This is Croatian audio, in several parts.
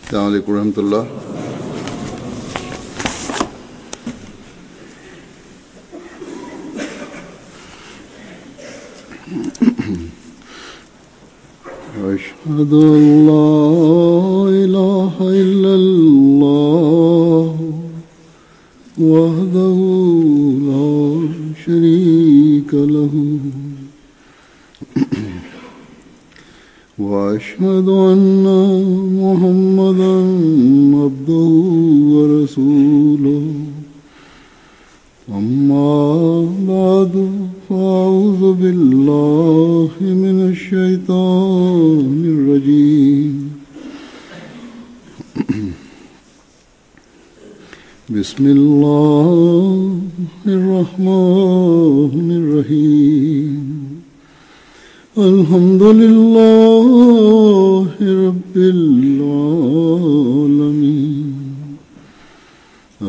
अस्सलामु अलैकुम रहमतुल्लाह। أشهد أن لا إله إلا الله وحده لا شريك له وأشهد أن محمدا عبده ورسوله أما بعد فأعوذ بالله من الشيطان الرجيم بسم الله الرحمن الرحيم الحمد لله رب العالمين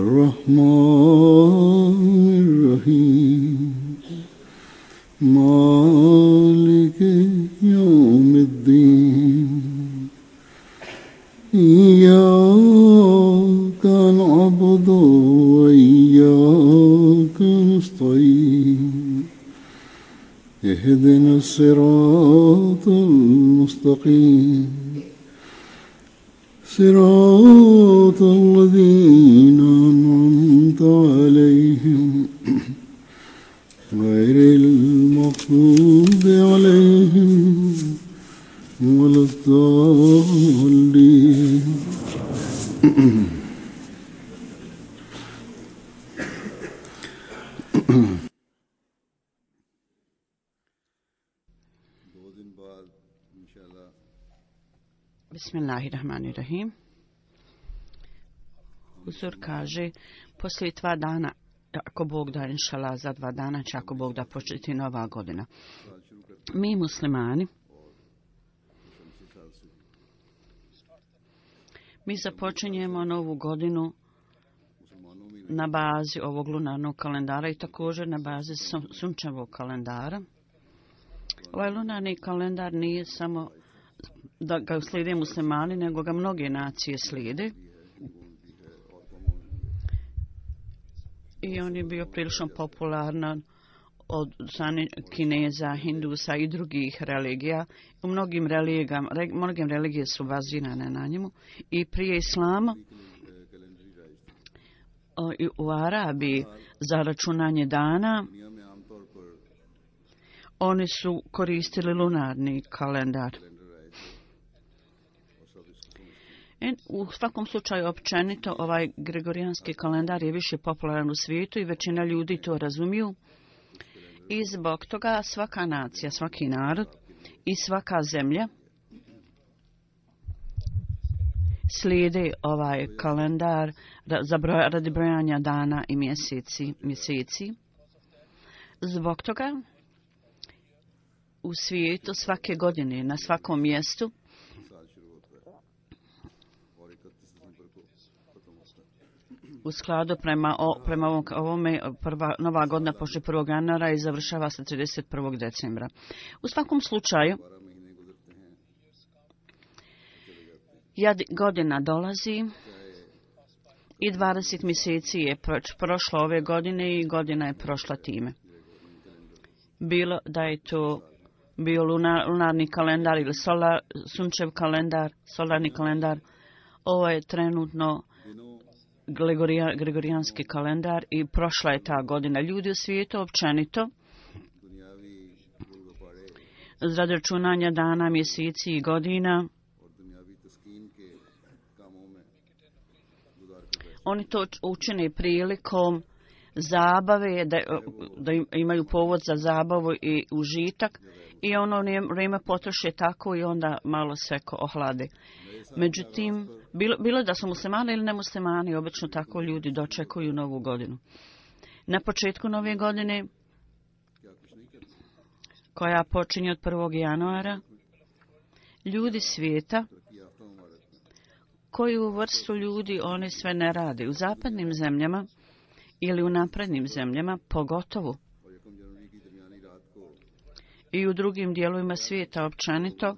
الرحمن الرحيم مالك يوم الدين إياك نعبد وإياك نستعين اهدنا الصراط المستقيم صراط الذين أنعمت عليهم غير المغضوب عليهم ولا الضالين Bismillahirrahmanirrahim. Huzur kaže, poslije 2 dana, ako Bog da, inšala, za 2 dana će, ako Bog da, početi nova godina. Mi muslimani, mi započinjemo novu godinu na bazi ovog lunarnog kalendara i također na bazi sunčevog kalendara. Ovaj lunarni kalendar nije samo da ga slijede muslimani, nego ga mnoge nacije slijede. I on je bio prilično popularan od strane Kineza, Hindusa i drugih religija. U mnogim religije su bazirane na njemu. I prije islama u Arabiji za računanje dana oni su koristili lunarni kalendar. U svakom slučaju općenito ovaj gregorijanski kalendar je više popularan u svijetu i većina ljudi to razumiju. I zbog toga svaka nacija, svaki narod i svaka zemlja slijede ovaj kalendar radi brojanja dana i mjeseci. Zbog toga u svijetu svake godine na svakom mjestu u skladu prema ovome prva nova godina počne 1. januara i završava se 31. decembra. U svakom slučaju godina dolazi i 20 mjeseci je prošlo ove godine i godina je prošla time. Bilo da je to bio lunarni kalendar ili sunčev kalendar, solarni kalendar, ovo je trenutno gregorijanski kalendar i prošla je ta godina. Ljudi u svijetu općenito radi računanja dana, mjeseci i godina oni to učine prilikom zabave, da imaju povod za zabavu i užitak i ono vrijeme potroše tako i onda malo se ohlade. Međutim, bilo da su muslimani ili nemuslimani, obično tako ljudi dočekuju novu godinu. Na početku nove godine, koja počinje od 1. januara, ljudi svijeta, koju vrstu ljudi oni sve ne rade. U zapadnim zemljama ili u naprednim zemljama, pogotovo i u drugim dijelovima svijeta općenito,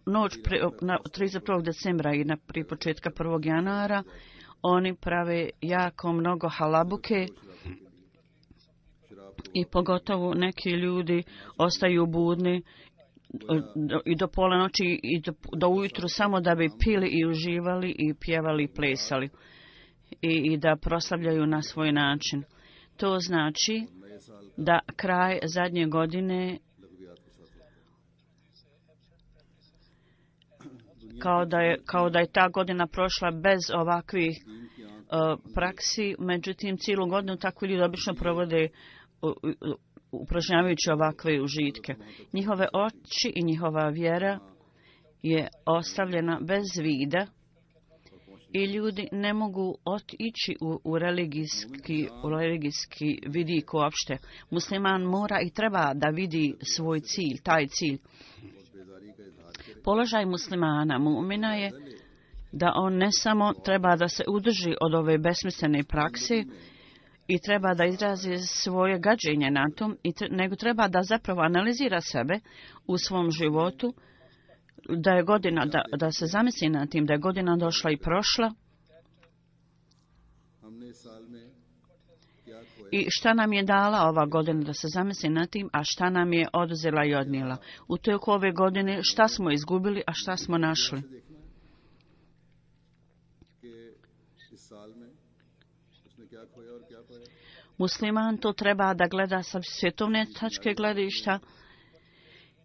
noć 31. decembra i prije početka 1. januara oni prave jako mnogo halabuke i pogotovo neki ljudi ostaju budni i do pola noći i do ujutru samo da bi pili i uživali i pjevali i plesali i da proslavljaju na svoj način. To znači da kraj zadnje godine kao da je ta godina prošla bez ovakvih praksi, međutim cijelu godinu takvi ljudi obično provode upražnjavajući ovakve užitke. Njihove oči i njihova vjera je ostavljena bez vida i ljudi ne mogu otići u religijski vidik uopšte. Musliman mora i treba da vidi svoj cilj, taj cilj. Položaj muslimana, mu'mina je da on ne samo treba da se udrži od ove besmislene prakse i treba da izrazi svoje gađenje na tom, nego treba da zapravo analizira sebe u svom životu, da je godina, da se zamisli na tim, da je godina došla i prošla i šta nam je dala ova godina, da se zamisli na tim, a šta nam je oduzela i odnijela. U toku ove godine šta smo izgubili, a šta smo našli. Musliman to treba da gleda sa svjetovne tačke gledišta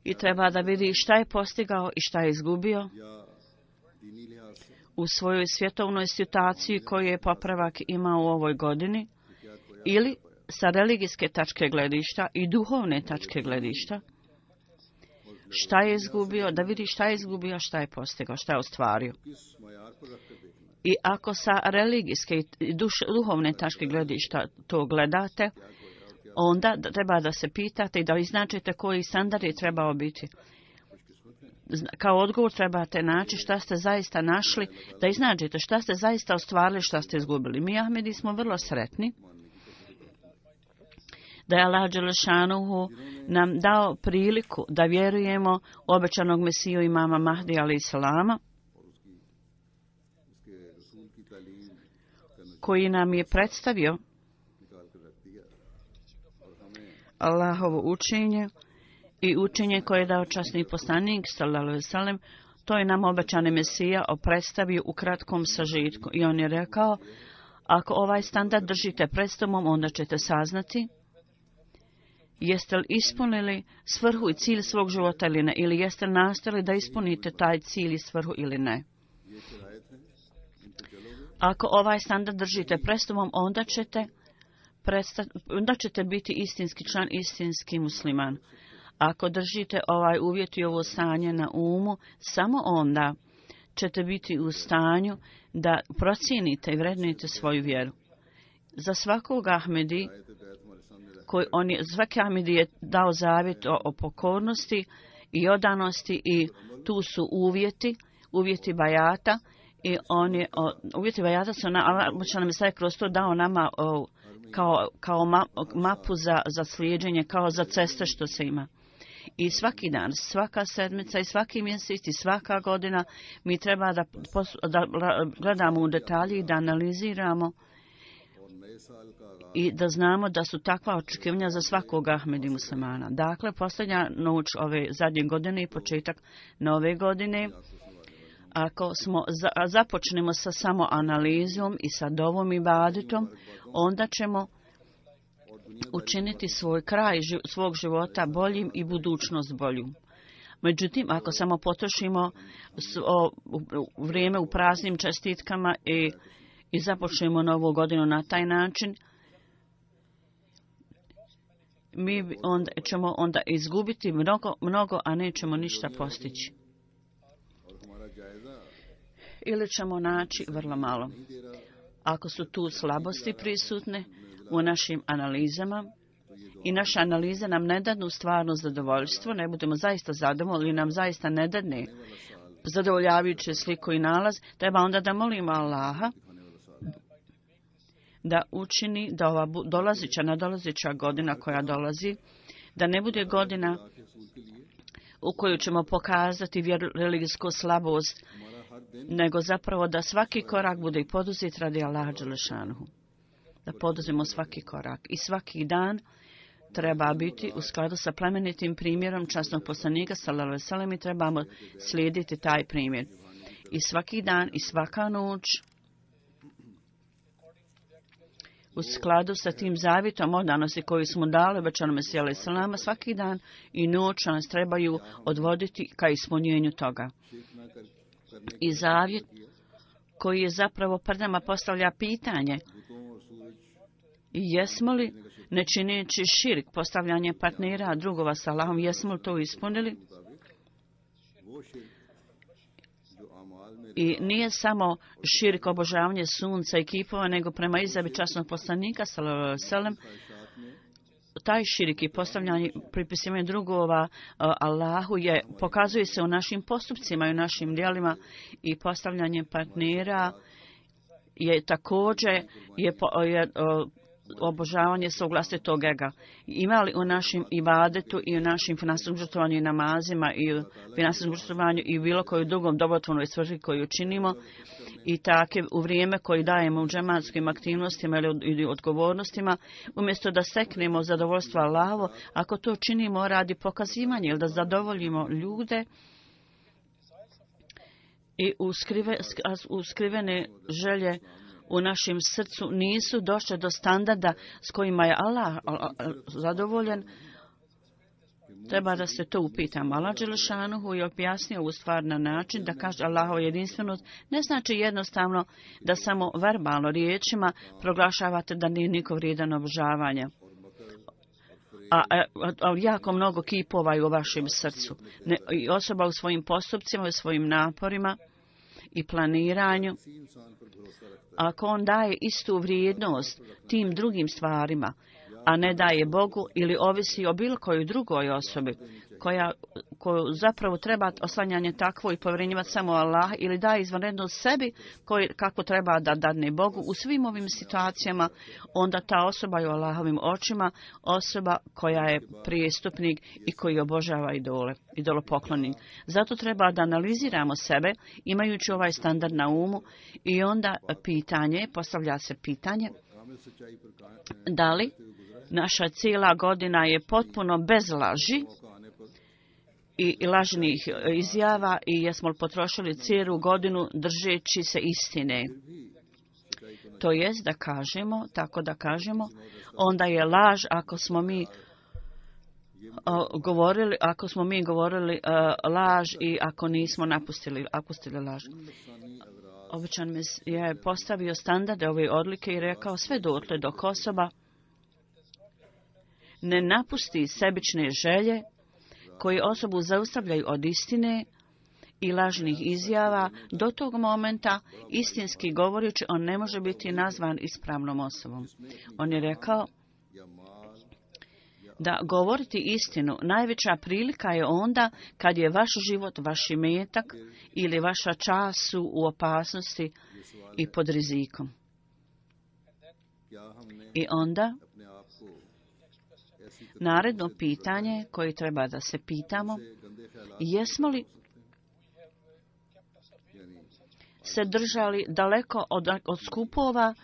i treba da vidi šta je postigao i šta je izgubio u svojoj svjetovnoj situaciji koju je popravak imao u ovoj godini, ili sa religijske tačke gledišta i duhovne tačke gledišta. Šta je izgubio, da vidi šta je izgubio, šta je postigao, šta je ostvario. I ako sa religijske i duhovne tačke gledišta to gledate, onda treba da se pitate i da iznačite koji standard je trebao biti. Kao odgovor trebate naći šta ste zaista našli, da iznađete šta ste zaista ostvarili, šta ste izgubili. Mi Ahmedi smo vrlo sretni da je Allah Đelešanuhu nam dao priliku da vjerujemo u obećanog Mesiju imama Mahdi alejhi selama, koji nam je predstavio Allahovo učenje i učenje koje je dao časni poslanik sallallahu alejhi ve sellem. To je nam obećani Mesija predstavio u kratkom sažetku i on je rekao: ako ovaj standard držite pred sobom, onda ćete saznati jeste li ispunili svrhu i cilj svog života ili ne, ili jeste li nastojali da ispunite taj cilj i svrhu ili ne. Ako ovaj standard držite pred sobom, onda ćete biti istinski član, istinski musliman. Ako držite ovaj uvjet i ovo stanje na umu, samo onda ćete biti u stanju da procijenite i vrednujete svoju vjeru. Za svakog Ahmedi, svaki Ahmedi je dao zavjet o pokornosti i odanosti i tu su uvjeti bajata i uvjeti bajata su nam je kroz to dao nama kao mapu za slijeđenje, kao za ceste što se ima. I svaki dan, svaka sedmica i svaki mjesec i svaka godina mi treba da gledamo u detalji i da analiziramo i da znamo da su takva očekivanja za svakog Ahmedi muslimana. Dakle, posljednja noć ove zadnje godine i početak nove godine, ako započnemo sa samo analizom i sa dovom i ibadetom, onda ćemo učiniti svoj kraj svog života boljim i budućnost boljom. Međutim, ako samo potrošimo vrijeme u praznim čestitkama i započnemo novu godinu na taj način, mi ćemo onda izgubiti mnogo, a nećemo ništa postići. Ili ćemo naći vrlo malo. Ako su tu slabosti prisutne u našim analizama i naše analize nam ne dadnu stvarno zadovoljstvo, ne budemo zaista zadovoljni, nam zaista ne dadne zadovoljavajuće sliku i nalaz, treba onda da molimo Allaha da učini da ova nadolazeća godina koja dolazi, da ne bude godina u koju ćemo pokazati religijsku slabost, nego zapravo da svaki korak bude i poduzet radi Allaha dželešanuhu. Da poduzmemo svaki korak i svaki dan treba biti u skladu sa plemenitim primjerom časnog poslanika sallallahu alejhi ve sellem i trebamo slijediti taj primjer. I svaki dan i svaka noć u skladu sa tim zavjetom odanosti koju smo dali obećanom Mesiji alejhi selama, svaki dan i noć nas trebaju odvoditi ka ispunjenju toga. I zavjet koji je zapravo pred nama postavlja pitanje: jesmo li, ne čineći širk, postavljanje partnera drugova sa Allahom, jesmo li to ispunili? I nije samo širk obožavanje sunca i kipova, nego prema izjavi časnog poslanika sallallahu alejhi ve sellem, taj širk i postavljanje, pripisivanje drugova Allahu pokazuje se u našim postupcima i u našim djelima, i postavljanje partnera je također obožavanje svog vlastitog ega. Ima li u našim ibadetu i u našim finansijskom žrtvovanju i namazima i u finansijskom žrtvovanju i u bilo koju drugom dobrotvornoj svrhi koju činimo, i tako u vrijeme koje dajemo u džematskim aktivnostima ili odgovornostima, umjesto da steknemo zadovoljstvo Allahovo, ako to činimo radi pokazivanja ili da zadovoljimo ljude i uskrivene želje u našem srcu nisu došle do standarda s kojima je Allah zadovoljen, treba da se to upitamo. Allah dželešanuhu je objasnio ovu stvar na način da kaže Allahova jedinstvenost ne znači jednostavno da samo verbalno riječima proglašavate da nije niko vrijedan obožavanja. A jako mnogo kipova je u vašem srcu. I osoba u svojim postupcima, u svojim naporima i planiranju, ako on daje istu vrijednost tim drugim stvarima, a ne daje Bogu ili ovisi o bilo kojoj drugoj osobi koju zapravo treba oslanjanje takvo i povjerenjivati samo Allah, ili daje izvanredno sebi kako treba da dadne Bogu, u svim ovim situacijama onda ta osoba je u Allahovim očima osoba koja je prijestupnik i koji obožava idolopoklonik. Zato treba da analiziramo sebe imajući ovaj standard na umu, i onda postavlja se pitanje da li naša cijela godina je potpuno bez laži i lažnih izjava, i jesmo li potrošili cijelu godinu držeći se istine. To jest da kažemo, tako da kažemo, onda je laž ako smo mi govorili laž i ako nismo napustili laž. Običan mi je postavio standarde ove odlike i rekao sve dotle dok osoba ne napusti sebične želje koji osobu zaustavljaju od istine i lažnih izjava, do tog momenta, istinski govoreći, on ne može biti nazvan ispravnom osobom. On je rekao da govoriti istinu najveća prilika je onda kad je vaš život, vaš imetak ili vaša čast su u opasnosti i pod rizikom. I onda naredno pitanje koje treba da se pitamo: jesmo li se držali daleko od skupova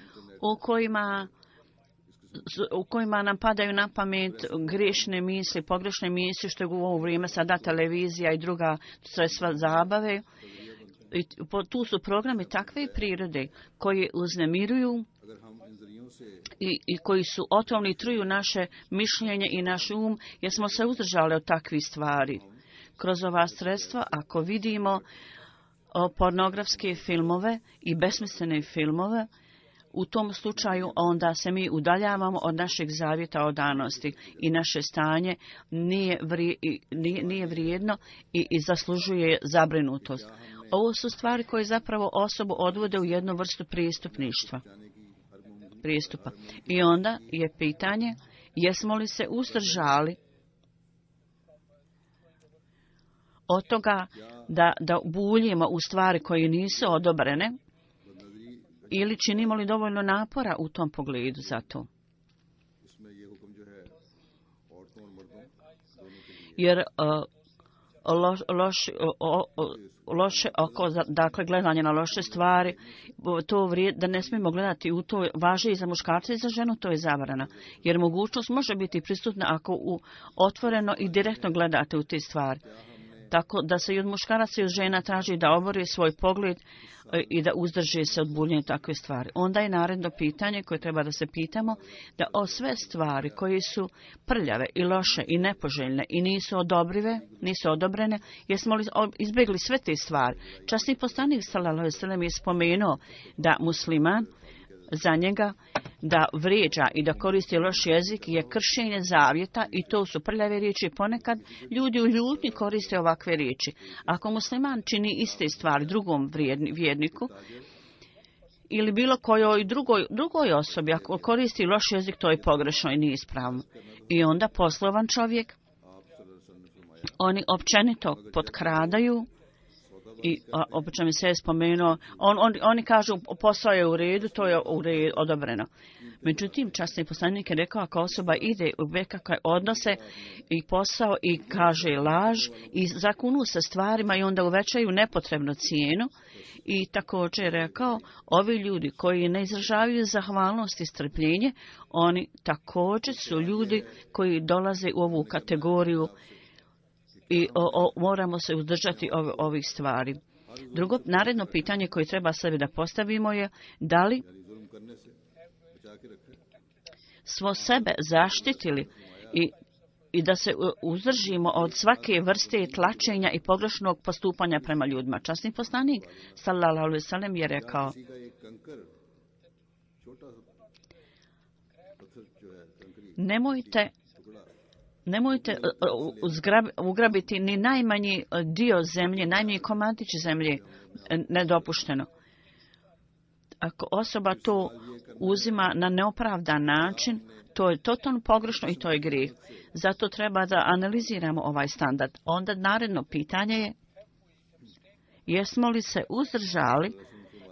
u kojima nam padaju na pamet grešne misli, pogrešne misli, što je u ovo vrijeme sada televizija i druga sredstva zabave. I tu su programi takve prirode koji uznemiruju i koji su otrovni i truju naše mišljenje i naš um, jer smo se uzdržali od takvih stvari. Kroz ova sredstva, ako vidimo pornografske filmove i besmislene filmove, u tom slučaju onda se mi udaljavamo od našeg zavjeta odanosti i naše stanje nije vrijedno i zaslužuje zabrinutost. Ovo su stvari koje zapravo osobu odvode u jednu vrstu pristupa. I onda je pitanje: jesmo li se uzdržali od toga da buljimo u stvari koje nisu odobrene, ili činimo li dovoljno napora u tom pogledu za to? Jer loše oko, dakle gledanje na loše stvari, to da ne smijemo gledati u to, važi i za muškarca i za ženu, to je zabrana. Jer mogućnost može biti prisutna ako otvoreno i direktno gledate u te stvari. Tako da se i od muškaraca i od žena traži da obori svoj pogled i da uzdrži se od buljenja takve stvari. Onda je naredno pitanje koje treba da se pitamo, da o sve stvari koje su prljave i loše i nepoželjne i nisu odobrene, jesmo li izbjegli sve te stvari. Časni poslanik sallallahu alejhi ve sellem je spomenuo da musliman za njega da vrijeđa i da koristi loš jezik je kršenje zavjeta i to su prljave riječi. Ponekad ljudi u ljutnji koriste ovakve riječi. Ako musliman čini iste stvari drugom vjerniku ili bilo kojoj drugoj osobi, ako koristi loš jezik, to je pogrešno i nije ispravno. I onda poslovan čovjek, oni općenito potkradaju. I obično mi se je spomenuo, oni kažu posao je u redu, to je u redu, odobreno. Međutim, časni poslanik je rekao, ako osoba ide u bekakve odnose i posao i kaže laž i zakunu se stvarima i onda uvećaju nepotrebnu cijenu, i također je rekao, ovi ljudi koji ne izražavaju zahvalnost i strpljenje, oni također su ljudi koji dolaze u ovu kategoriju i moramo se uzdržati ovih stvari. Drugo, naredno pitanje koje treba sebi da postavimo je da li smo sebe zaštitili i da se uzdržimo od svake vrste tlačenja i pogrešnog postupanja prema ljudima. Časni poslanik sallallahu alejhi ve sellem je rekao, Nemojte ugrabiti ni najmanji dio zemlje, najmanji komadić zemlje, nedopušteno. Ako osoba to uzima na neopravdan način, to je totalno pogrešno i to je grijeh. Zato treba da analiziramo ovaj standard. Onda naredno pitanje je, jesmo li se uzdržali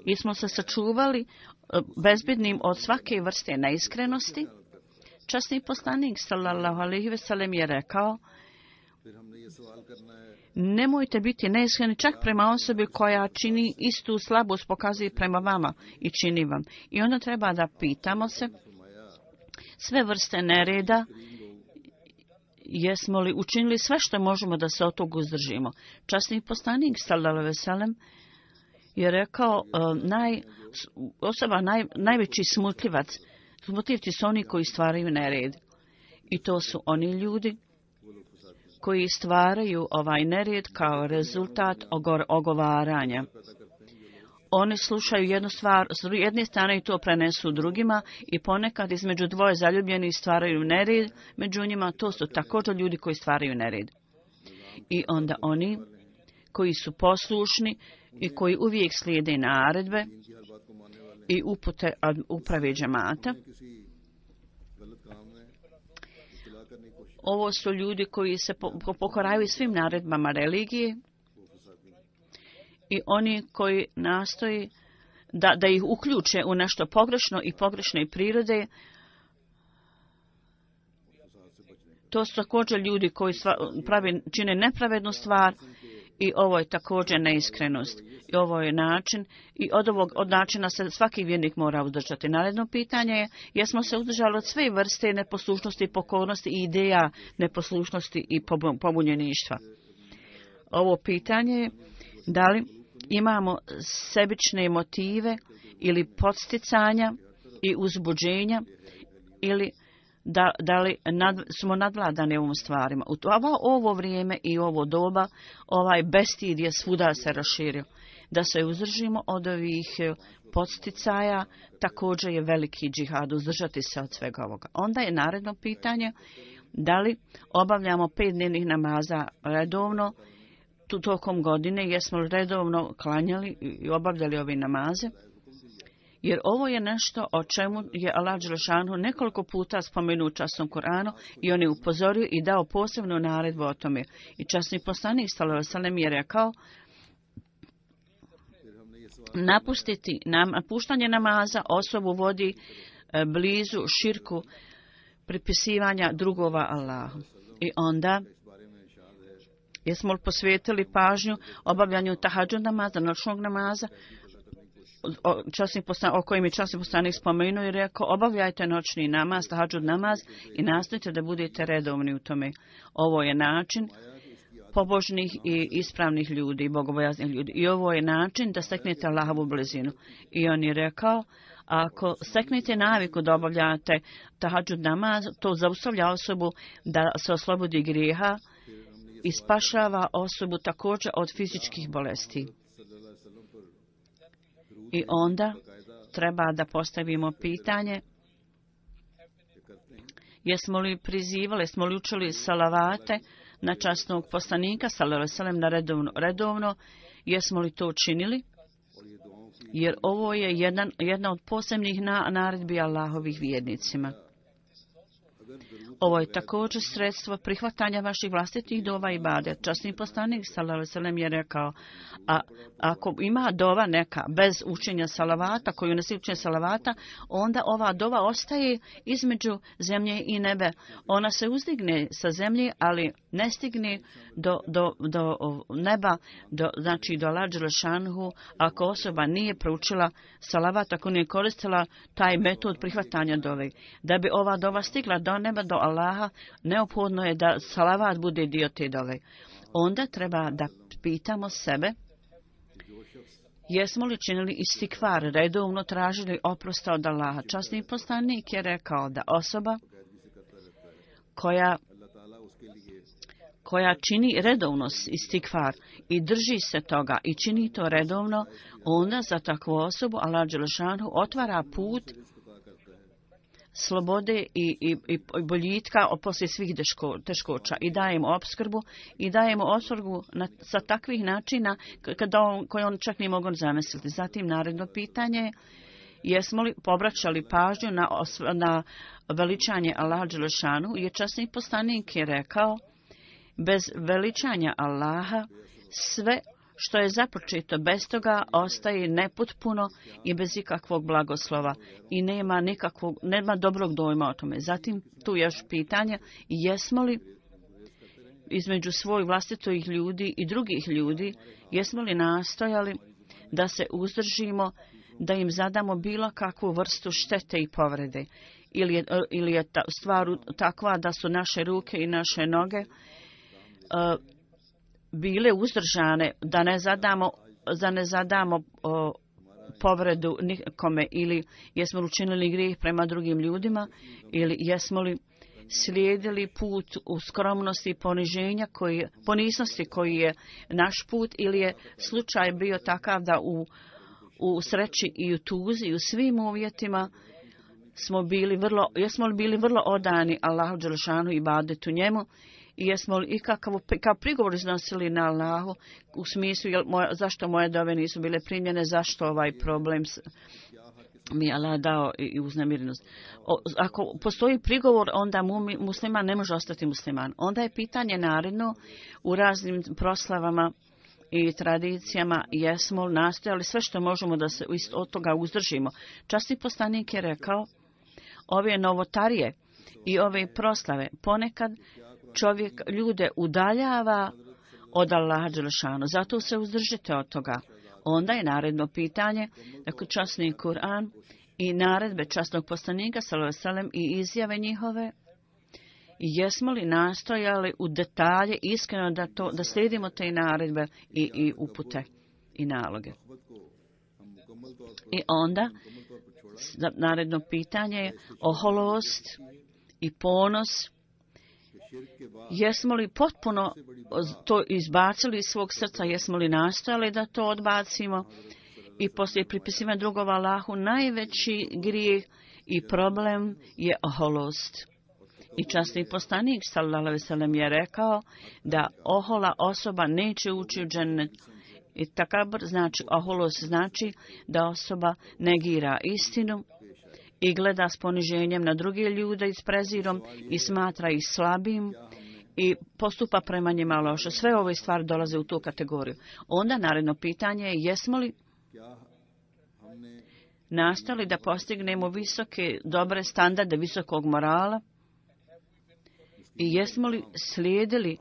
i smo se sačuvali bezbjednim od svake vrste neiskrenosti? Časni poslanik sallallahu alejhi ve sellem je rekao, nemojte biti neiskreni čak prema osobi koja čini istu slabost, pokazuje prema vama i čini vam. I onda treba da pitamo se sve vrste nereda, jesmo li učinili sve što možemo da se od toga uzdržimo. Časni poslanik sallallahu alejhi ve sellem je rekao, najveći smutljivci su oni koji stvaraju nered. I to su oni ljudi koji stvaraju ovaj nered kao rezultat ogovaranja. Oni slušaju jednu stvar s jedne strane i to prenesu drugima i ponekad između dvoje zaljubljenih stvaraju nered. Među njima to su također ljudi koji stvaraju nered. I onda oni koji su poslušni i koji uvijek slijede naredbe i upute uprave džemata. Ovo su ljudi koji se pokoraju svim naredbama religije i oni koji nastoji da ih uključe u nešto pogrešno i pogrešne prirode. To su također ljudi koji čine nepravednu stvar i ovo je također neiskrenost. I ovo je način i od načina se svaki vjernik mora uzdržati. Naredno pitanje je, jesmo se uzdržali od sve vrste neposlušnosti, pokornosti i ideja neposlušnosti i pobunjeništva. Ovo pitanje je, da li imamo sebične motive ili podsticanja i uzbuđenja ili da li smo nadvladani ovom stvarima. U ovo vrijeme i ovo doba ovaj bestid je svuda se raširio. Da se uzdržimo od ovih podsticaja također je veliki džihad, uzdržati se od svega ovoga. Onda je naredno pitanje, da li obavljamo 5 dnevnih namaza redovno tokom godine, jesmo li redovno klanjali i obavljali ove namaze. Jer ovo je nešto o čemu je Allah dželešanu nekoliko puta spomenuo u časnom Kur'anu i on je upozorio i dao posebnu naredbu o tome. I časni poslanik sallallahu alejhi ve sellem je rekao, napuštanje namaza osobu vodi blizu širku pripisivanja drugova Allahu. I onda Jesmo li posvetili pažnju obavljanju tahadžud namaza, noćnog namaza, o kojim je časni poslanik spomenuo i rekao, obavljajte noćni namaz, tahadžud namaz i nastojte da budete redovni u tome. Ovo je način pobožnih i ispravnih ljudi, bogobojaznih ljudi. I ovo je način da steknete Allahovu blizinu. I on je rekao, ako steknete naviku da obavljate tahadžud namaz, to zaustavlja osobu da se oslobodi grijeha i spašava osobu također od fizičkih bolesti. I onda treba da postavimo pitanje, jesmo li prizivali, jesmo li učili salavate na časnog poslanika, sallallahu alejhi ve sellem, na redovno, jesmo li to učinili? Jer ovo je jedna od posebnih naredbi Allahovih vjernicima. Ovo je također sredstvo prihvatanja vaših vlastitih dova i ibadet. Časni poslanik sallallahu alejhi ve sellem je rekao, a ako ima dova neka bez učenja salavata, koju ne se učenja salavata, onda ova dova ostaje između zemlje i nebe. Ona se uzdigne sa zemlje, ali ne stigne do neba, znači do Allaha dželle šanuhu, ako osoba nije proučila salavat, ako nije koristila taj metod prihvatanja dove. Da bi ova dova stigla do neba, do Allaha, neophodno je da salavat bude dio te dove. Onda treba da pitamo sebe, jesmo li činili istikvar, redovno tražili oprosta od Allaha. Časni poslanik je rekao da osoba koja čini redovno istikvar i drži se toga i čini to redovno, onda za takvu osobu Allah dželle šanuhu otvara put slobode i boljitka poslije svih teškoća i daje mu opskrbu i daje mu opskrbu sa takvih načina koje on čak nije mogu zamisliti. Zatim naredno pitanje, jesmo li pobraćali pažnju na veličanje Allaha dželle šanuhu, jer časni poslanik je rekao, bez veličanja Allaha sve što je započeto bez toga ostaje nepotpuno i bez ikakvog blagoslova i nema dobrog dojma o tome. Zatim tu je još pitanje, jesmo li između svojih vlastitih ljudi i drugih ljudi, jesmo li nastojali da se uzdržimo, da im zadamo bilo kakvu vrstu štete i povrede, ili je stvar takva da su naše ruke i naše noge bile uzdržane, da ne zadamo povredu nikome, ili jesmo li učinili grijeh prema drugim ljudima, ili jesmo li slijedili put u skromnosti i poniznosti koji je naš put, ili je slučaj bio takav da u sreći i u tuzi i u svim uvjetima jesmo li bili vrlo odani Allahu dželle šanuhu i ibadetu njemu, i jesmo li ikakav prigovor iznosili na Allahu u smislu zašto moje dove nisu bile primljene, zašto ovaj problem mi je Allah dao i uznemirenost. Ako postoji prigovor, onda musliman ne može ostati musliman. Onda je pitanje naredno u raznim proslavama i tradicijama, jesmo li nastojali sve što možemo da se od toga uzdržimo. Časni poslanik je rekao, ove novotarije i ove proslave ponekad čovjek ljude udaljava od Allaha dželle šanuhu, zato se uzdržite od toga. Onda je naredno pitanje, dakle časni Kur'an i naredbe časnog poslanika sallallahu alejhi ve sellem i izjave njihove, jesmo li nastojali u detalje iskreno da slijedimo te naredbe i upute i naloge. I onda naredno pitanje je oholost i ponos. Jesmo li potpuno to izbacili iz svog srca, jesmo li nastojali da to odbacimo i poslije pripisivanja drugova Allahu, najveći grijeh i problem je oholost. I časni poslanik sallallahu alejhi ve sellem je rekao da ohola osoba neće ući u džennet. I takabur znači, oholost znači da osoba negira istinu i gleda s poniženjem na druge ljude i s prezirom i smatra ih slabim i postupa prema njima loše. Sve ove stvari dolaze u tu kategoriju. Onda naredno pitanje je, jesmo li nastali da postignemo visoke, dobre standarde visokog morala i jesmo li slijedili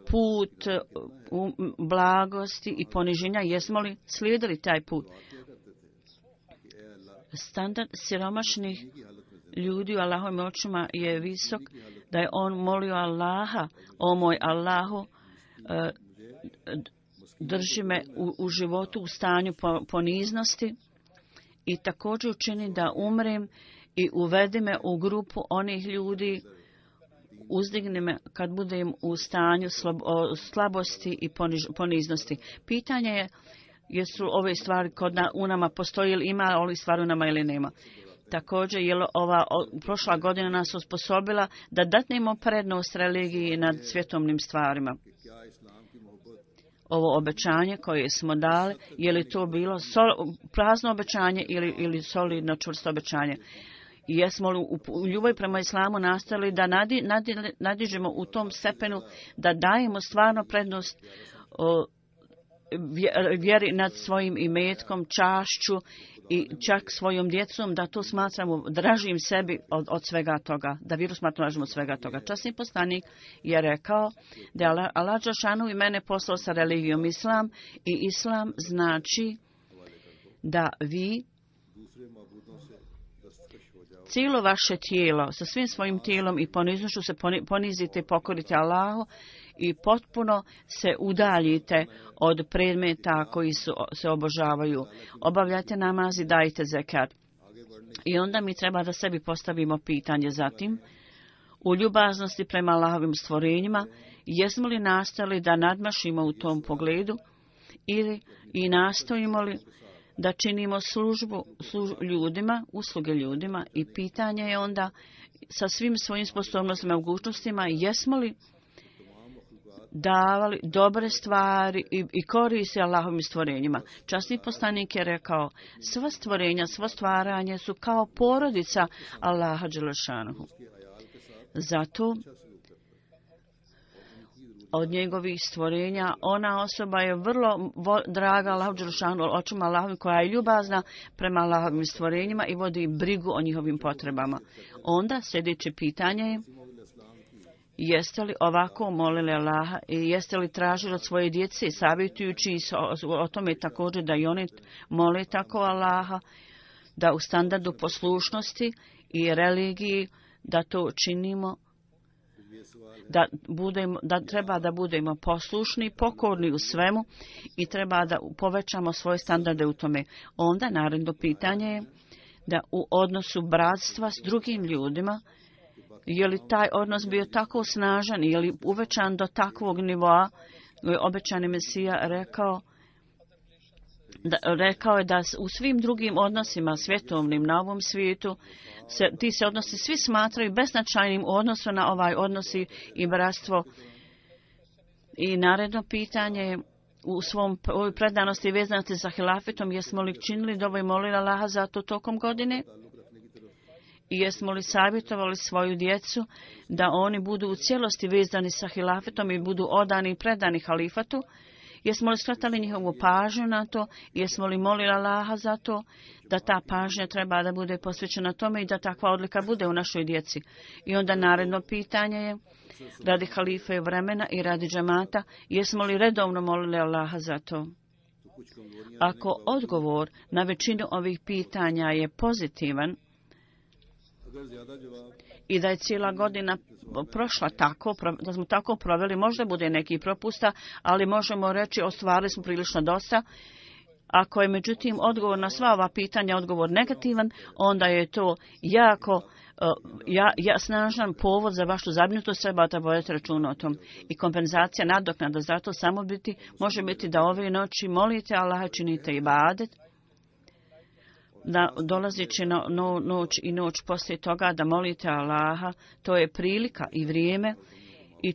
put blagosti i poniženja, jesmo li slijedili taj put? Standard siromašnih ljudi u Allahovim očima je visok, da je on molio Allaha, o moj Allahu, drži me u životu u stanju poniznosti i također učini da umrem i uvedi me u grupu onih ljudi, uzdigni me kad budem u stanju slabosti i poniznosti. Pitanje je jesu ove stvari kod u nama postoji ili ima ove stvari u nama ili nema. Također je prošla godina nas osposobila da datnemo prednost religiji nad svjetovnim stvarima. Ovo obećanje koje smo dali, je li to bilo prazno obećanje ili solidno čvrsto obećanje? Jesmo li u ljubavi prema islamu nastavili da nadižemo u tom stepenu, da dajemo stvarno prednost vjeri nad svojim imetkom, čašću i čak svojom djecom, da to smatramo dražim sebi od svega toga, da vjeru smatramo dražim od svega toga. Časni poslanik je rekao da je Allah dželešanu i mene poslao sa religijom islam i islam znači da vi cijelo vaše tijelo, sa svim svojim tijelom i poniznošću se ponizite i pokorite Allahu i potpuno se udaljite od predmeta koji se obožavaju. Obavljajte namaz i dajte zekat. I onda mi treba da sebi postavimo pitanje zatim, u ljubaznosti prema Allahovim stvorenjima, jesmo li nastali da nadmašimo u tom pogledu i nastojimo li da činimo službu ljudima, usluge ljudima i pitanje je onda sa svim svojim sposobnostima i mogućnostima jesmo li davali dobre stvari i koriste Allahovim stvorenjima. Časni poslanik je rekao, sva stvorenja, svo stvaranje su kao porodica Allaha dželešanuhu. Zato od njegovih stvorenja ona osoba je vrlo draga Allahu dželešanuhu, očima Allahovim, koja je ljubazna prema Allahovim stvorenjima i vodi brigu o njihovim potrebama. Onda sljedeće pitanje je, jeste li ovako molili Allaha i jeste li tražili od svoje djece, savjetujući o tome također da i oni mole tako Allaha, da u standardu poslušnosti i religiji da to činimo, da treba da budemo poslušni, pokorni u svemu i treba da povećamo svoje standarde u tome. Onda naredno pitanje je da u odnosu bratstva s drugim ljudima, je li taj odnos bio tako snažan, je li uvećan do takvog nivoa, obećani Mesija rekao je da u svim drugim odnosima svjetovnim na ovom svijetu ti se odnosi svi smatraju beznačajnim u odnosu na ovaj odnosi i bratstvo. I naredno pitanje je u svom predanosti vezanosti za hilafetom, jesmo li činili dovo i molili Allaha za to tokom godine? I jesmo li savjetovali svoju djecu da oni budu u cijelosti vezani sa hilafetom i budu odani i predani halifatu? Jesmo li skratali njihovu pažnju na to? Jesmo li molili Allaha za to da ta pažnja treba da bude posvećena tome i da takva odlika bude u našoj djeci? I onda naredno pitanje je, radi halife vremena i radi džemata, jesmo li redovno molili Allaha za to? Ako odgovor na većinu ovih pitanja je pozitivan i da je cijela godina prošla tako, da smo tako proveli, možda bude neki propusta, ali možemo reći ostvarili smo prilično dosta. Ako je međutim odgovor na sva ova pitanja odgovor negativan, onda je to jako snažan povod za vašu zabrinutost, treba da vodite računa o tom. I kompenzacija, nadoknada za to može biti da ove noći molite Allaha, činite ibadet, da dolazeći na noć i noć poslije toga da molite Allaha, to je prilika i vrijeme i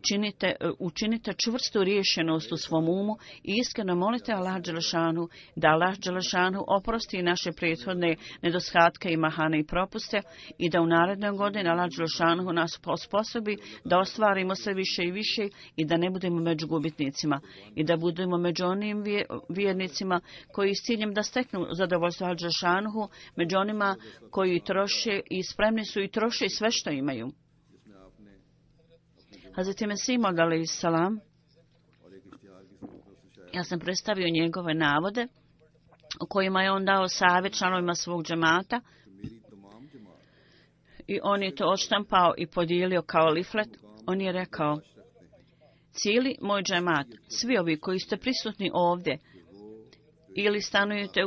učinite čvrstu riješenost u svom umu i iskreno molite Allaha dželešanu da Allah dželešanu oprosti naše prethodne nedostatke i mahane i propuste i da u narednoj godini Allah dželešanu nas osposobi da ostvarimo sve više i više i da ne budemo među gubitnicima i da budemo među onim vjernicima koji s ciljem da steknu zadovoljstvo Allah dželešanu, među onima koji troše i spremni su i troše sve što imaju. Hazreti Mesih Maud alejhi salam Ja sam predstavio njegove navode u kojima je on dao savjet članovima svog džemata i on je to odštampao i podijelio kao liflet. On je rekao: cijeli moj džemat, svi ovi koji ste prisutni ovdje ili stanujete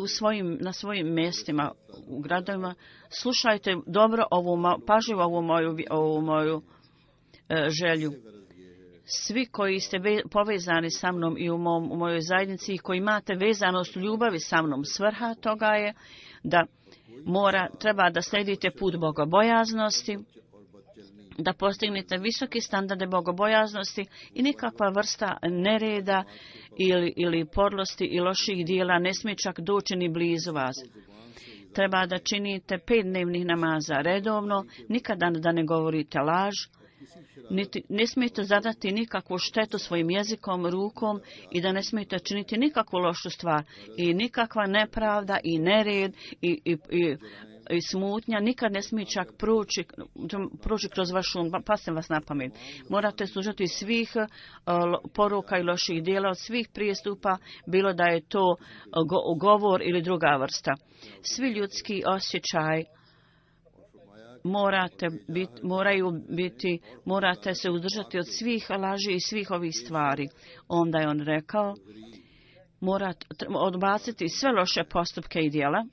na svojim mjestima u gradovima, slušajte dobro pažljivo ovu moju želju. Svi koji ste povezani sa mnom i u mojoj zajednici i koji imate vezanost u ljubavi sa mnom, svrha toga je da treba da slijedite put bogobojaznosti, da postignete visoke standarde bogobojaznosti i nikakva vrsta nereda ili podlosti i loših dijela ne smije čak doći ni blizu vas. Treba da činite 5 dnevnih namaza redovno, nikada da ne govorite laž, ne smijete zadati nikakvu štetu svojim jezikom, rukom i da ne smijete činiti nikakvu lošu stvar i nikakva nepravda i nered i smutnja nikad ne smije čak proći kroz vašu, pasem vas na pamet. Morate služiti svih poruka i loših dijela, od svih prijestupa, bilo da je to govor ili druga vrsta. Svi ljudski osjećaj morate se uzdržati od svih laži i svih ovih stvari. Onda je on rekao: morate odbaciti sve loše postupke i djela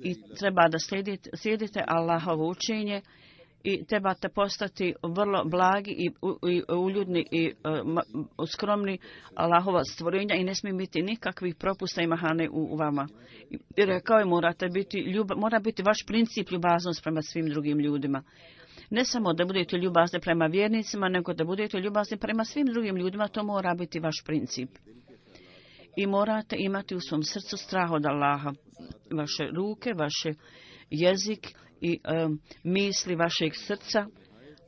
i treba da slijedite Allahovo učenje i trebate postati vrlo blagi i uljudni i skromni Allahova stvorenja i ne smije biti nikakvih propusta i mahane u vama. I rekao je: mora biti vaš princip ljubaznost prema svim drugim ljudima. Ne samo da budete ljubazni prema vjernicima, nego da budete ljubazni prema svim drugim ljudima, to mora biti vaš princip. I morate imati u svom srcu strah od Allaha. Vaše ruke, vaš jezik i misli vašeg srca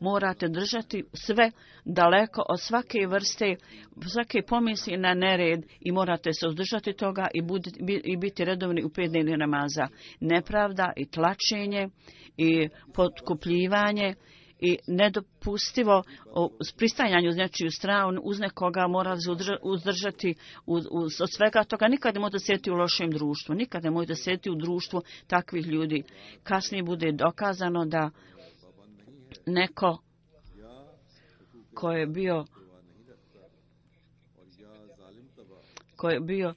morate držati sve daleko od svake vrste, svake pomisli na nered i morate se uzdržati toga i biti redovni u 5 dnevnih namaza. Nepravda i tlačenje i potkupljivanje i nedopustivo pristajanje uz nečiju stranu, uz nekoga mora se uzdržati od svega toga. Nikad ne možete sjediti u lošem društvu, nikad ne možete sjediti u društvu takvih ljudi. Kasnije bude dokazano da neko ko je bio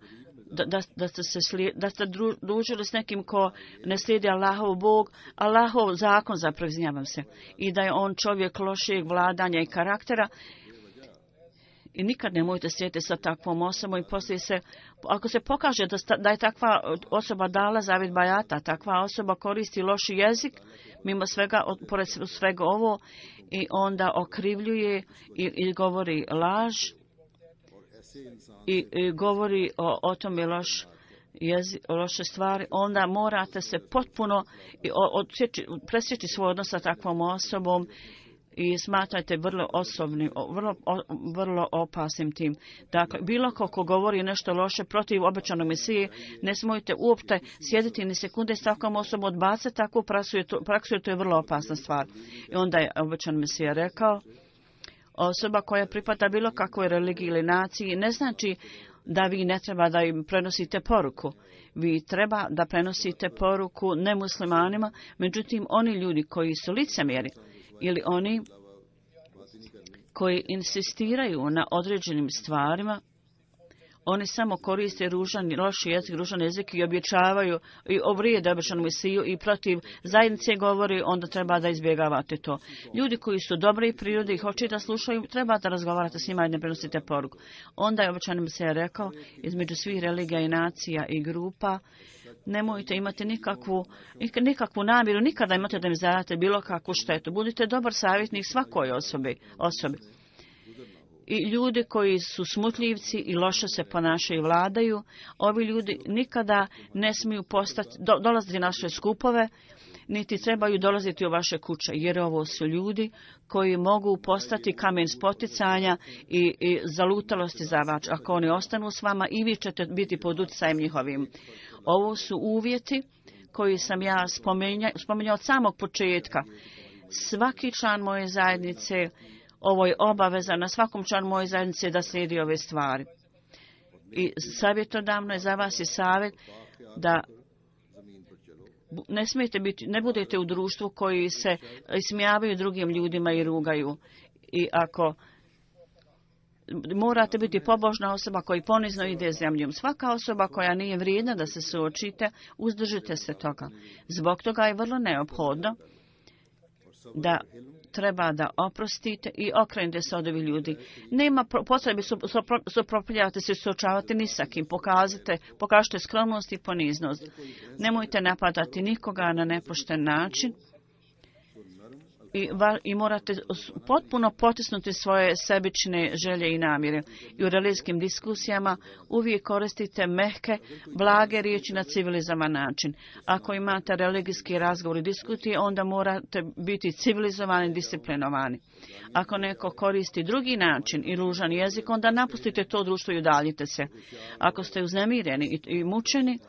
da ste družili s nekim ko ne slijedi Allahov zakon, zapravo izvinjavam se, i da je on čovjek lošijeg vladanja i karaktera, i nikad ne možete sjediti sa takvom osobom i poslije ako se pokaže da je takva osoba dala zavjet bajata, takva osoba koristi loši jezik, mimo svega, pored svega ovo, i onda okrivljuje i govori laž, i govori o tome loše stvari, onda morate se potpuno presjeći svoj odnos sa takvom osobom i smatrajte vrlo opasnim tim. Dakle, bilo ko govori nešto loše protiv obećanog Mesije, ne smijete uopšte sjediti ni sekunde s takvom osobom, odbaciti takvu praksu, jer to je vrlo opasna stvar. I onda je obećan Mesija rekao: osoba koja pripada bilo kakvoj religiji ili naciji ne znači da vi ne treba da im prenosite poruku. Vi treba da prenosite poruku nemuslimanima, međutim oni ljudi koji su licemjeri ili oni koji insistiraju na određenim stvarima, oni samo koriste loši jezik i objećavaju i ovrijede obećanu Mesiju i protiv zajednice govori, onda treba da izbjegavate to. Ljudi koji su dobre i prirode i hoće da slušaju, treba da razgovarate s njima i ne prenosite poruku. Onda je obećani Mesija rekao: između svih religija i nacija i grupa nemojte imati nikakvu namjeru, nikada imate da im zadate bilo kakvu štetu. Budite dobar savjetnik svakoj osobi. I ljudi koji su smutljivci i loše se ponašaju i vladaju, ovi ljudi nikada ne smiju dolaziti na naše skupove, niti trebaju dolaziti u vaše kuće, jer ovo su ljudi koji mogu postati kamen spoticanja i zalutalosti za vas. Ako oni ostanu s vama, i vi ćete biti pod utjecajem njihovim. Ovo su uvjeti koji sam ja spominjao od samog početka. Svaki član moje zajednice, ovo je obaveza na svakom članu moje zajednice da slijedi ove stvari. I savjetodavno je za vas i savjet da ne budete u društvu koji se ismijavaju drugim ljudima i rugaju. I ako morate biti pobožna osoba koja ponizno ide zemljom. Svaka osoba koja nije vrijedna da se suočite, uzdržite se toga. Zbog toga je vrlo neophodno da treba da oprostite i okrenete se od ovih ljudi. Nema potrebe suprotstavljavati se i suočavati ni sa kim. Pokažite skromnost i poniznost. Nemojte napadati nikoga na nepošten način. I morate potpuno potisnuti svoje sebične želje i namjere. I u religijskim diskusijama uvijek koristite mehke, blage riječi na civilizovan način. Ako imate religijski razgovor i diskutije, onda morate biti civilizovani i disciplinovani. Ako neko koristi drugi način i ružan jezik, onda napustite to društvo i udaljite se. Ako ste uznemireni i mučeni,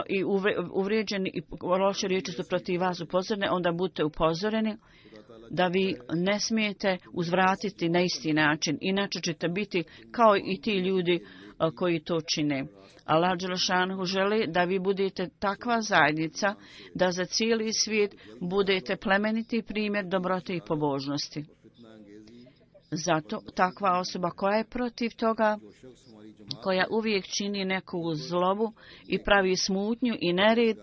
i uvrijeđeni i loše riječi su protiv vas upozorene, onda budete upozoreni da vi ne smijete uzvratiti na isti način. Inače ćete biti kao i ti ljudi koji to čine. Allah dželešanu želi da vi budete takva zajednica da za cijeli svijet budete plemeniti primjer dobrote i pobožnosti. Zato takva osoba koja je protiv toga, koja uvijek čini neku zlobu i pravi smutnju i nered,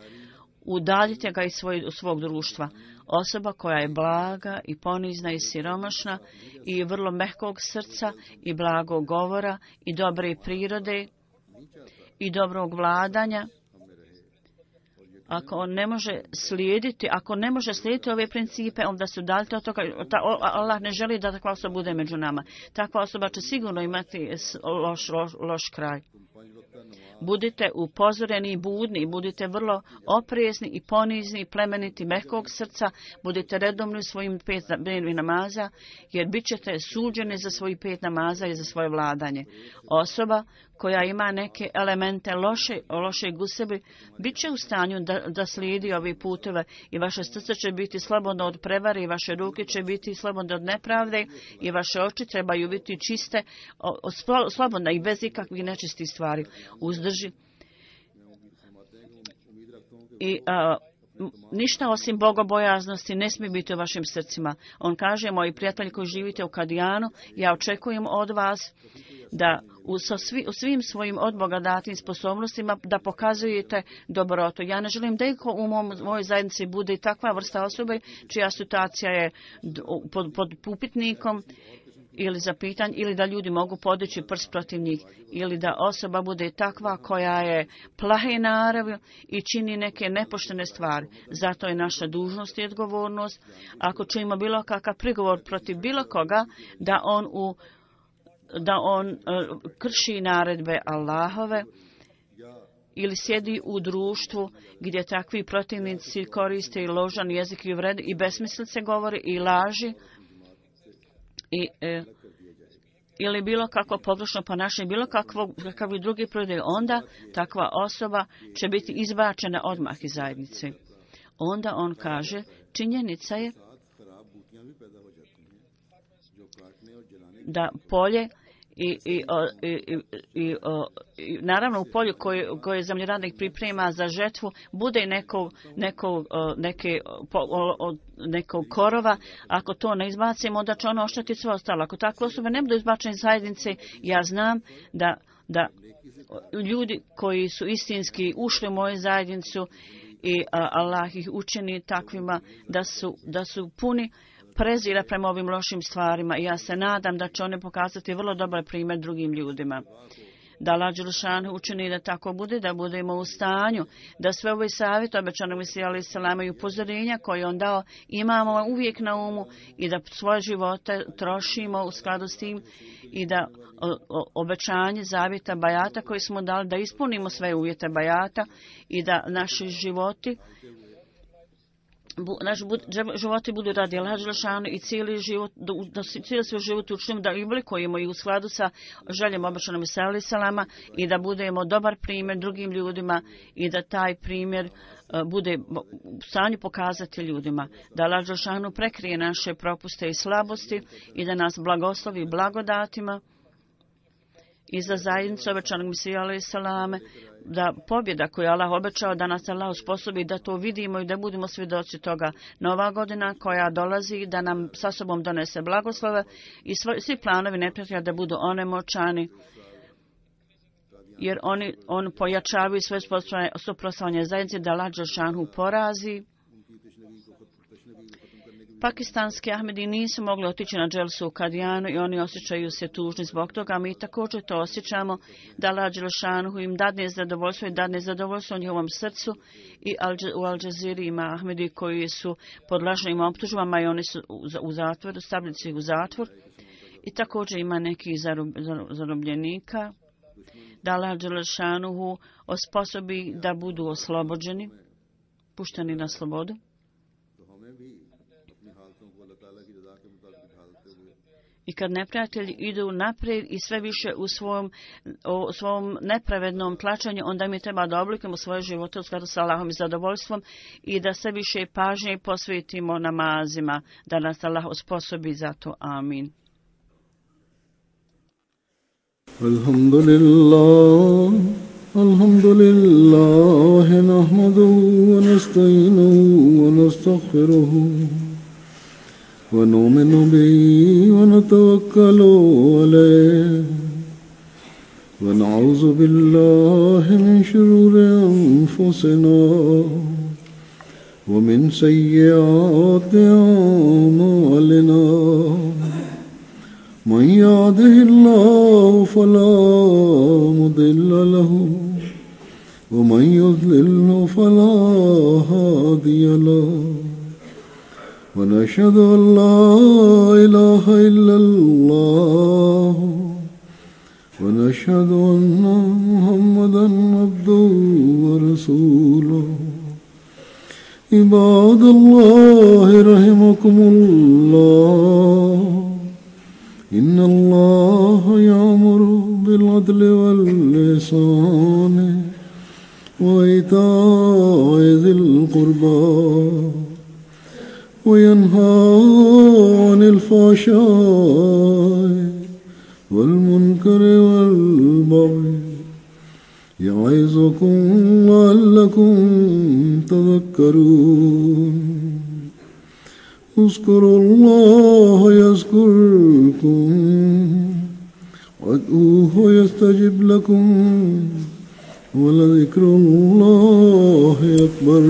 udaljite ga iz svog društva. Osoba koja je blaga i ponizna i siromašna i vrlo mehkog srca i blagog govora i dobre prirode i dobrog vladanja, ako ne može slijediti ove principe, onda se udaljite od toga. Allah ne želi da takva osoba bude među nama. Takva osoba će sigurno imati loš kraj. Budite upozoreni i budni, budite vrlo oprezni i ponizni i plemeniti mehkog srca, budite redovni u svojim 5 dnevnih namaza, jer bit ćete suđeni za svojih 5 namaza i za svoje vladanje. Osoba koja ima neke elemente lošeg u sebi, bit će u stanju da slijedi ove puteve i vaše srce će biti slobodno od prevare i vaše ruke će biti slobodne od nepravde i vaše oči trebaju biti čiste, slobodne i bez ikakvih nečistih stvari. Uzdrži. I ništa osim bogobojaznosti ne smije biti u vašim srcima. On kaže, moji prijatelji koji živite u Kadijanu, ja očekujem od vas da u svim svojim od Boga datim sposobnostima da pokazujete dobrotu. Ja ne želim da iko u mojoj zajednici bude takva vrsta osobe čija situacija je pod upitnikom ili za pitanje, ili da ljudi mogu podići prst protiv njih, ili da osoba bude takva koja je plahe naravi i čini neke nepoštene stvari. Zato je naša dužnost i odgovornost, ako čujemo bilo kakav prigovor protiv bilo koga, da on krši naredbe Allahove ili sjedi u društvu gdje takvi protivnici koriste i ložan jezik i uvrede i besmislice govori i laži ili bilo kakvo pogrešno ponašanje, bilo kakvi drugi prodaj, onda takva osoba će biti izbačena odmah iz zajednice. Onda on kaže, činjenica je da polje i naravno u polju koje zemljoradnik priprema za žetvu bude nekog korova. Ako to ne izbacimo, onda će ono oštetiti sve ostalo. Ako takve osobe ne budu izbačene iz zajednice, ja znam da ljudi koji su istinski ušli u moju zajednicu i Allah ih učini takvima da su puni prezira prema ovim lošim stvarima i ja se nadam da će one pokazati vrlo dobar primjer drugim ljudima. Da Allah dželešanu učini da tako bude, da budemo u stanju, da sve ove savjete obećanog Mesija alejhi selam i upozorenja koje on dao imamo uvijek na umu i da svoje živote trošimo u skladu s tim i da obećanje zavjeta bajata koje smo dali, da ispunimo sve uvjete bajata i da naši životi budu radi Allaha dželešanu i cijeli svoj život učinimo da oblikujemo i u skladu sa željom obećanog Mesija alejhi selama i da budemo dobar primjer drugim ljudima i da taj primjer bude u stanju pokazati ljudima. Da Allah dželešanu prekrije naše propuste i slabosti i da nas blagoslovi blagodatima i za zajednicu obećanog Mesija alejhi selame, da pobjeda koju Allah obećao da nas Allah usposobi da to vidimo i da budemo svjedoci toga. Nova godina koja dolazi da nam sa sobom donese blagoslove i svi planovi neprijatelja da budu onemoćani, jer on pojačavaju svoje suprotstavljanje zajednice, da Allah dželešanu porazi. Pakistanski Ahmedi nisu mogli otići na dželsu u Kadijanu i oni osjećaju se tužni zbog toga. Mi također to osjećamo, da Allah dželešanu im dadne zadovoljstvo i dadne zadovoljstvo u njihovom srcu. I u Al Jazeera ima Ahmedi koji su pod lažnim optužbama i oni su u zatvoru, stavili su ih u zatvor. I također ima nekih zarobljenika, da Allah dželešanu osposobi da budu oslobođeni, pušteni na slobodu. I kad neprijatelji idu naprijed i sve više u svom nepravednom tlačenju, onda mi treba da oblikujemo svoje živote u skladu sa Allahom i zadovoljstvom i da sve više pažnje posvetimo namazima, da nas Allah osposobi za to. Amin. Alhamdulillah, nahmaduhu wa nasta'inuhu wa nastaghfiruhu. ونؤمن به ونتوكل عليه ونعوذ بالله من شرور أنفسنا ومن سيئات أعمالنا من يهده الله فلا مضل له ومن يضلل فلا هادي له ونشهد أن لا إله إلا الله ونشهد أن محمدا عبده ورسوله عباد الله رحمكم الله إن الله يأمر بالعدل والإحسان وإيتاء ذي القربى وينهى عن الفحشاء والمنكر والبغي يعظكم لعلكم تذكرون اذكروا الله يذكركم وادعوه يستجب لكم ولذكر الله أكبر.